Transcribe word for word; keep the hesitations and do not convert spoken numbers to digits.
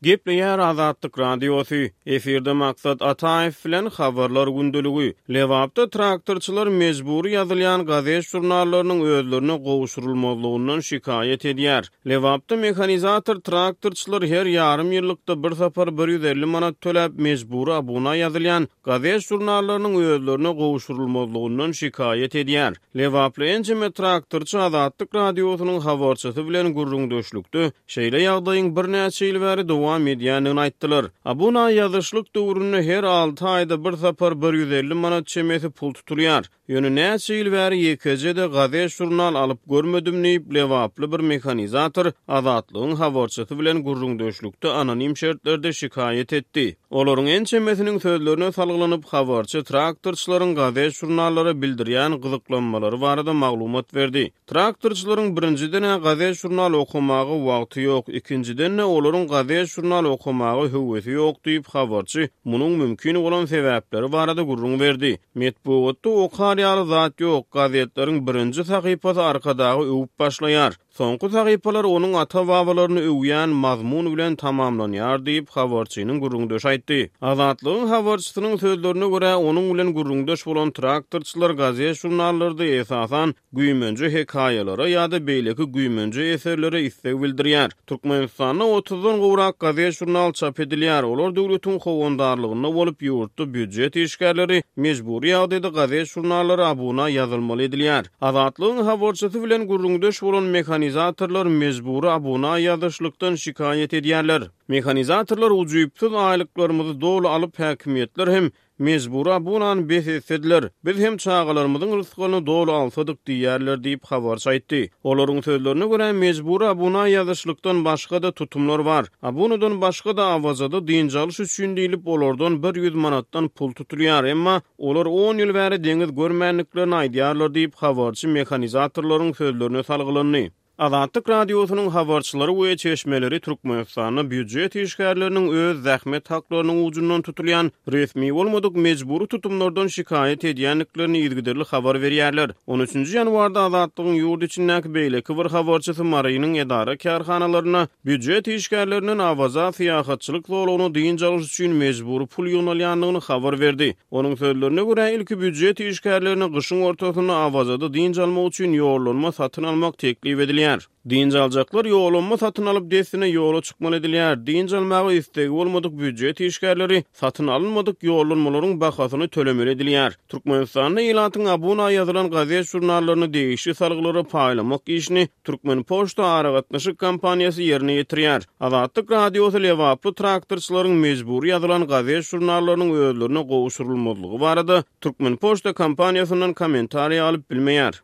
Gepleýär Azatlyk Radiosy, efirde Maksat Ataýew bilen Habarlar gündeligi. Lebapda traktorçylar mejbury ýazylýan gazet-žurnallarynyň özlerine gowşurylmazlygyndan şikaýat edýär. Lebapda mehanizator traktorçylar her ýarym ýyllykda bir sapar bir ýüz elli manat töläp mejbury abuna ýazylýan gazet-žurnallarynyň özlerine gowşurylmazlygyndan şikaýat edýär. Lebaply ençeme traktorçy Azatlyk Radiosynyň habarçysy bilen gürrüňdeşlikde şeýle ýagdaýyň birnäçe ýyl bäri dowam edýändigini aýtdylar. Abuna ýazyşlyk döwründe her alty aýda bir sapar bir ýüz elli manat çemesi pul tutulýar. Ýöne näçe ýyl bäri ýekeje-de gazet-žurnal alyp görmedim diýip Lebaply bir mehanizator Azatlygyň habarçysy bilen gürrüňdeşlikde anonim şertlerde şikaýat etdi. Olaryň ençemesiniň sözlerine salgylanyp habarçy traktorçylaryň gazet-žurnallara bildirýän gyzyklanmalary barada maglumat berdi. Traktorçylaryň birinjiden-ä gazet-žurnal okamaga wagty ýok, ikinjiden-de olaryň gazet-žurnal okamaga höwesi ýok diýip habarçy munuň mümkin bolan sebäpleri barada gürrüň berdi. Metbugatda okar ýaly zat ýok, gazetleriň birinji sahypasy Arkadagy öwüp başlaýar. Soňky sahypalar onuň ata-babalaryny öwýän mazmun bilen tamamlanýar diýip habarçynyň gürrüňdeşi aýtdy. Azatlygyň habarçysynyň sözlerine görä onuň bilen gürrüňdeş bolan traktorçylar gazet-žurnallarda esasan güýmenje hekaýalara ýa-da beýleki güýmenje eserlere isleg bildirýär. Türkmenistanda otuzdan gowrak gazet-žurnal çap edilýär. Olar döwletiň howandarlygynda bolup ýurtda býujet işgärleri mejbury ýagdaýda gazet-žurnallara abuna ýazylmaly edilýär. Azatlygyň habarçysy bilen gürrüňdeş bolan mehanizatorlar mejbury abuna ýazyşlykdan şikaýat edýärler. Mehanizatorlar ujypsyz aýlyklarymyzy doly alyp häkimiýetler hem mejbury abunany bes etsediler. Biz hem çagalarymyzyň rysgalyny doly alsadyk diýýärler diýip habarçy aýtdy. Olaryň sözlerine görä mejbury abuna ýazyşlykdan başga-da tutumlar bar. Abunadan başga-da Awazada dynç alyş üçin diýlip olardan bir ýüz manatdan pul tutulýar, emma olar on ýyl bäri deňiz görmändiklerini aýdýarlar diýip habarçy mehanizatorlaryň sözlerine salgylandy. Azatlyk Radiosynyň habarçylary we çeşmeleri Türkmenistanda býujet işgärleriniň öz zähmet haklarynyň ucundan tutulýan resmi bolmadyk mejbury tutumlardan şikaýat edýändiklerini yzygiderli habar berýärler. on üçünji ýanwarda Azatlygyň ýurt içindäki beýleki bir habarçysy Marynyň edara kärhanalaryna býujet işgärlerinden Awaza syýahatçylyk zolagyna dynç alyş üçin mejbury pul ýygnalýandygyny habar berdi. Onuň sözlerine görä ilki býujet işgärlerine gyşyň ortasynda Awazada dynç almak üçin ýollanma satyn almak teklip edilýär. Dynç aljaklar ýollanma satyn alyp dessine ýola çykmaly edilýär. Dynç almaga istegi bolmadyk býujet işgärleri satyn alynmadyk ýollanmalaryň bahasyny tölemeli edilýär. Türkmenistanda ilatyň abuna ýazylan gazet-žurnallaryny degişli salgylara paýlamak işini Türkmenpoçta aragatnaşyk kompaniýasy ýerine ýetirýär. Azatlyk Radiosy Lebaply traktorçylaryň mejbury ýazylan gazet-žurnallarynyň özlerine gowşurylmazlygy barada Türkmenpoçta kompaniýasyndan kommentariýa alyp bilmeýär.